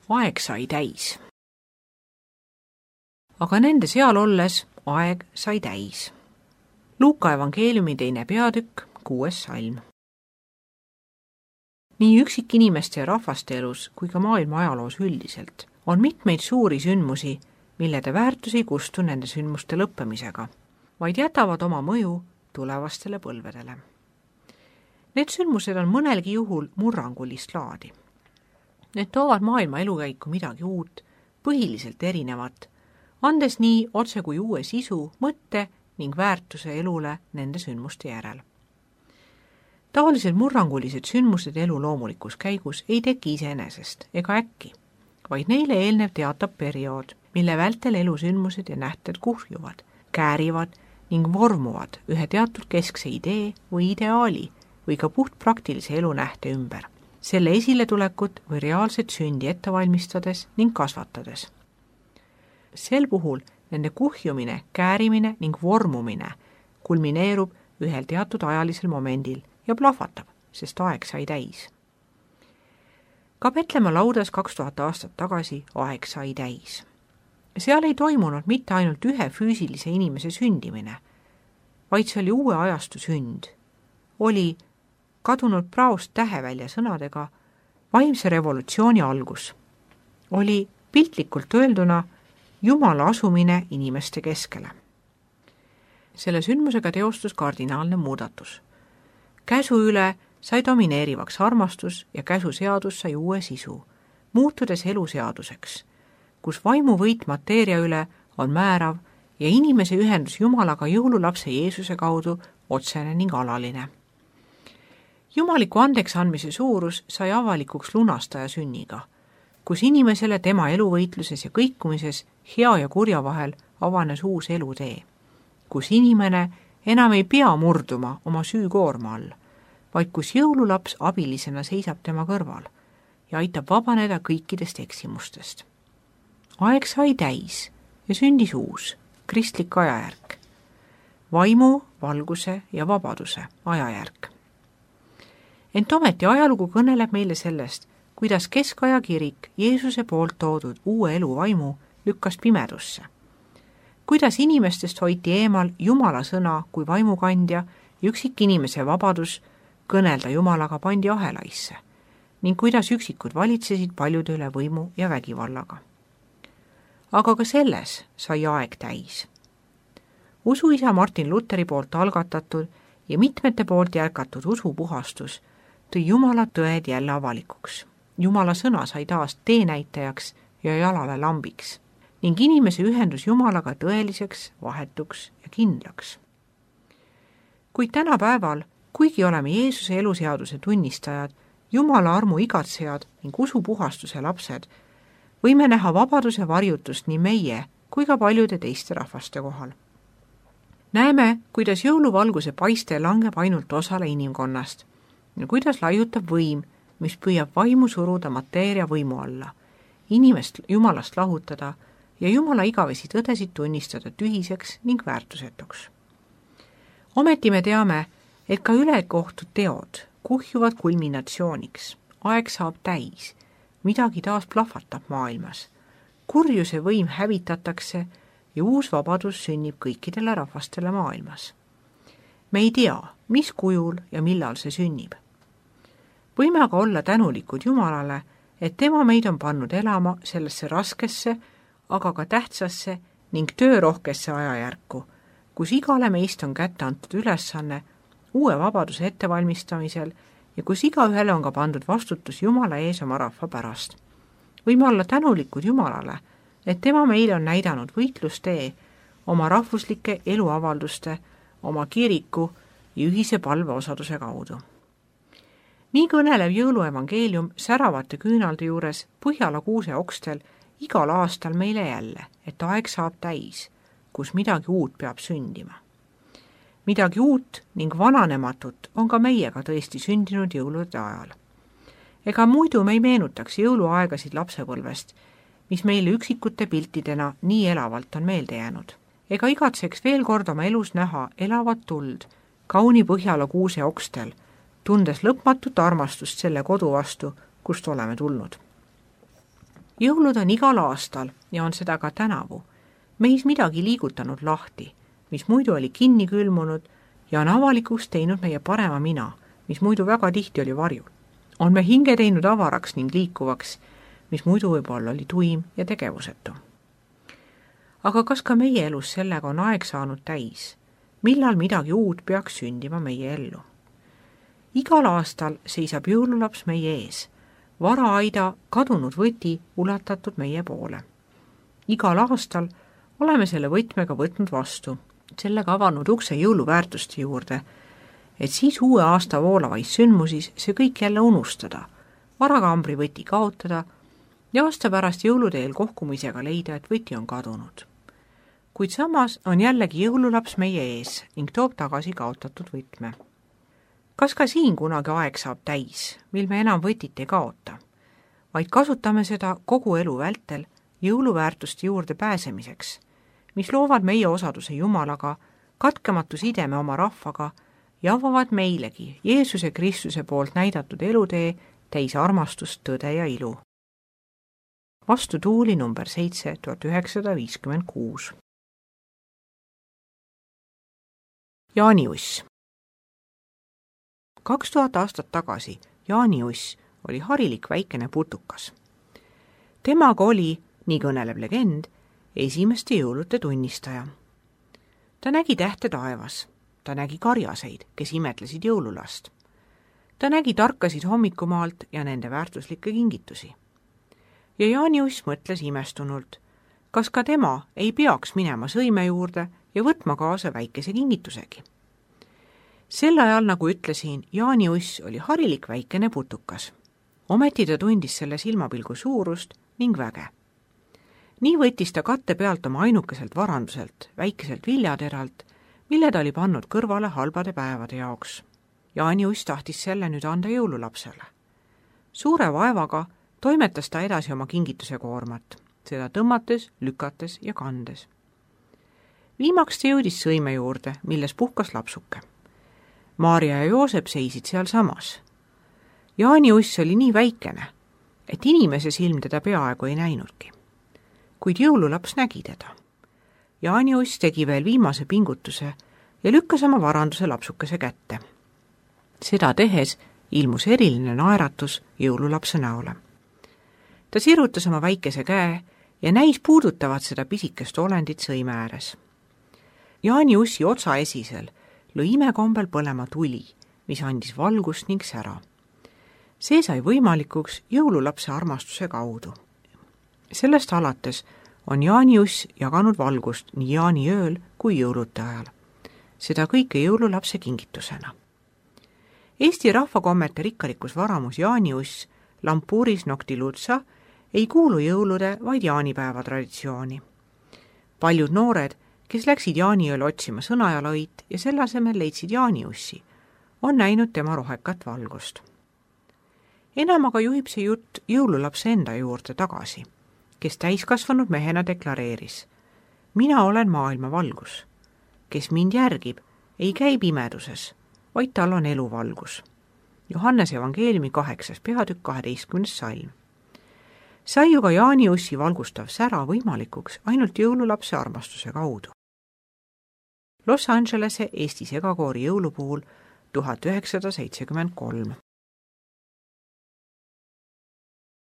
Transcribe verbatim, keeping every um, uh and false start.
Aeg sai täis. Aga nende seal olles aeg sai täis. Luuka evangeeliumi teine peatükk, kuues salm. Nii üksikinimeste ja rahvaste elus kui ka maailma ajaloos üldiselt on mitmeid suuri sündmusi, millede väärtus ei kustu nende sündmuste lõppemisega, vaid jätavad oma mõju tulevastele põlvedele. Need sündmused on mõnelgi juhul murrangulist laadi. Need toovad maailma elukäiku midagi uut, põhiliselt erinevat, andes nii otse kui uue sisu, mõtte ning väärtuse elule nende sündmuste järel. Taolised murrangulised sündmused elu loomulikus käigus ei teki iseenesest ega äkki, vaid neile eelnev teatab periood, mille vältel elusündmused ja nähted kuhjuvad, käärivad ning vormuvad ühe teatud keskse idee või ideaali või ka puht praktilise elu nähte ümber, selle esiletulekut või reaalset sündi ette valmistades ning kasvatades. Sel puhul nende kuhjumine, käärimine ning vormumine kulmineerub ühel teatud ajalisel momendil ja plahvatab, sest aeg sai täis. Ka Petlemma laudas kaks tuhat aastat tagasi aeg sai täis. Seal ei toimunud mitte ainult ühe füüsilise inimese sündimine, vaid see oli uue ajastu sünd. Oli kadunud praost tähevälja sõnadega vaimse revolutsiooni algus. Oli piltlikult öelduna Jumala asumine inimeste keskele. Selle sündmusega teostus kardinaalne muudatus. Käsu üle sai domineerivaks armastus ja käsuseadus sai uue sisu, muutudes eluseaduseks, kus vaimu võit mateeria üle on määrav ja inimese ühendus Jumalaga jõululapse Jeesuse kaudu otsene ning alaline. Jumaliku andeks andmise suurus sai avalikuks lunastaja sünniga, kus inimesele tema eluvõitluses ja kõikumises hea ja kurja vahel avanes uus elutee, kus inimene enam ei pea murduma oma süükoorma all, vaid kus jõululaps abilisena seisab tema kõrval ja aitab vabaneda kõikidest eksimustest. Aeg sai täis ja sündis uus, kristlik ajajärk, vaimu, valguse ja vabaduse ajajärk. Ent ometi ajalugu kõneleb meile sellest, kuidas keskaja kirik Jeesuse poolt toodud uue elu vaimu lükkas pimedusse, kuidas inimestest hoiti eemal Jumala sõna kui vaimukandja ja üksik inimese vabadus kõnelda Jumalaga pandi ahelaisse ning kuidas üksikud valitsesid paljude üle võimu ja vägivallaga. Aga ka selles sai aeg täis. Usuisa Martin Lutheri poolt algatatud ja mitmete poolt jätkatud usupuhastus tõi Jumala tõed jälle avalikuks. Jumala sõna sai taas teenäitajaks ja jalale lambiks ning inimese ühendus Jumalaga tõeliseks, vahetuks ja kindlaks. Kuid tänapäeval, kuigi oleme Jeesuse eluseaduse tunnistajad, Jumala armu igatsejad ning usupuhastuse lapsed, võime näha vabaduse varjutust nii meie kui ka paljude teiste rahvaste kohal. Näeme, kuidas jõuluvalguse paiste langeb ainult osale inimkonnast ja kuidas laiutab võim, mis püüab vaimu suruda mateeria võimu alla, inimest Jumalast lahutada ja Jumala igavesi tõdesid tunnistada tühiseks ning väärtusetuks. Ometi me teame, et ka ülekohtud teod kuhjuvad kulminatsiooniks, aeg saab täis, midagi taas plahvatab maailmas, kurjuse võim hävitatakse ja uus vabadus sünnib kõikidele rahvastele maailmas. Me ei tea, mis kujul ja millal see sünnib. Võime aga olla tänulikud Jumalale, et tema meid on pannud elama sellesse raskesse, aga ka tähtsasse ning töörohkesse ajajärku, kus igale meist on kätte antud ülesanne uue vabaduse ettevalmistamisel ja kus igaühele on ka pandud vastutus Jumala ees oma rahva pärast. Võime olla tänulikud Jumalale, et tema meile on näidanud võitlustee oma rahvuslike eluavalduste, oma kiriku ja ühise palveosaduse kaudu. Nii kõnelev jõuluevangeelium säravate küünalde juures Põhjala kuuse okstel igal aastal meile jälle, et aeg saab täis, kus midagi uut peab sündima. Midagi uut ning vananematut on ka meiega tõesti sündinud jõulude ajal. Ega muidu me ei meenutaks jõuluaegasid lapsepõlvest, mis meile üksikute piltidena nii elavalt on meelde jäänud. Ega igatseks veel kord oma elus näha elavat tuld kauni Põhjala kuuse okstel, tundes lõpmatut armastust selle kodu vastu, kust oleme tulnud. jõulud on igal aastal ja on seda ka tänavu. Meis midagi liigutanud lahti, mis muidu oli kinni külmunud ja on avalikuks teinud meie parema mina, mis muidu väga tihti oli varjul. On me hinge teinud avaraks ning liikuvaks, mis muidu võib-olla oli tuim ja tegevusetu. Aga kas ka meie elus sellega on aeg saanud täis? Millal midagi uut peaks sündima meie ellu? Igal aastal seisab jõululaps meie ees, varaaida kadunud võti ulatatud meie poole. Igal aastal oleme selle võtmega võtnud vastu, sellega avanud ukse jõuluväärtuste juurde, et siis uue aasta voolavais sündmusis see kõik jälle unustada, varakambri võti kaotada ja aasta pärast jõuluteel kohkumisega leida, et võti on kadunud. Kuid samas on jällegi jõululaps meie ees ning toob tagasi kaotatud võtme. Kas ka siin kunagi aeg saab täis, mil me enam võtit ei kaota, vaid kasutame seda kogu elu vältel jõuluväärtuste juurde pääsemiseks, mis loovad meie osaduse Jumalaga, katkematu sideme oma rahvaga ja avavad meilegi Jeesuse Kristuse poolt näidatud elutee täis armastust, tõde ja ilu. Vastu tuuli number seitse tuhat üheksasada viiskümmend kuus. Jaani Uss. Kaks tuhat aastat tagasi Jaani Uss oli harilik väikene putukas. Temaga oli, nii kõneleb legend, esimeste jõulude tunnistaja. Ta nägi tähte taevas, ta nägi karjaseid, kes imetlesid jõululast. Ta nägi tarkasid hommikumaalt ja nende väärtuslikke kingitusi. Ja Jaani Uss mõtles imestunult, kas ka tema ei peaks minema sõime juurde ja võtma kaasa väikese kingitusegi. Sel ajal, nagu ütlesin, Jaani Uss oli harilik väikene putukas. Ometi ta tundis selle silmapilgu suurust ning väge. Nii võttis ta katte pealt oma ainukeselt varanduselt, väikeselt viljateralt, mille ta oli pannud kõrvale halbade päevade jaoks. Jaani Uss tahtis selle nüüd anda jõululapsele. Suure vaevaga toimetas ta edasi oma kingituse koormat, seda tõmmates, lükates ja kandes. Viimaks ta jõudis sõime juurde, milles puhkas lapsuke. Maarja ja Joosep seisid seal samas. Jaani Uss oli nii väikene, et inimese silm teda peaaegu ei näinudki. Kuid jõululaps nägi teda. Jaani Uss tegi veel viimase pingutuse ja lükkas oma varanduse lapsukese kätte. Seda tehes ilmus eriline naeratus jõululapse näole. Ta sirutas oma väikese käe ja näis puudutavat seda pisikest olendit sõime ääres. Jaani Ussi otsa esisel lõi imekombel põlema tuli, mis andis valgust ning sära. See sai võimalikuks jõululapse armastuse kaudu. Sellest alates on Jaani Uss jaganud valgust nii jaaniööl kui jõulude ajal. Seda kõike jõululapse kingitusena. Eesti rahvakommete rikkalikus varamus Jaani Uss, Lampuris Noctilutsa, ei kuulu jõulude, vaid jaanipäeva traditsiooni. Paljud noored, kes läksid jaaniööl otsima sõnajalõit ja selle asemel leidsid Jaani Ussi, on näinud tema rohekat valgust. Enam aga juhib see jutt jõululapse enda juurde tagasi, kes täiskasvanud mehena deklareeris: mina olen maailma valgus. Kes mind järgib, ei käi pimeduses, vaid tal on eluvalgus. Johannes evangeeliumi kaheksas peatükk kaheteistkümnes salm. Sai ju ka Jaani Ussi valgustav sära võimalikuks ainult jõululapse armastuse kaudu. Los Angelese Eesti segakoori jõulupuhul tuhat üheksasada seitsekümmend kolm.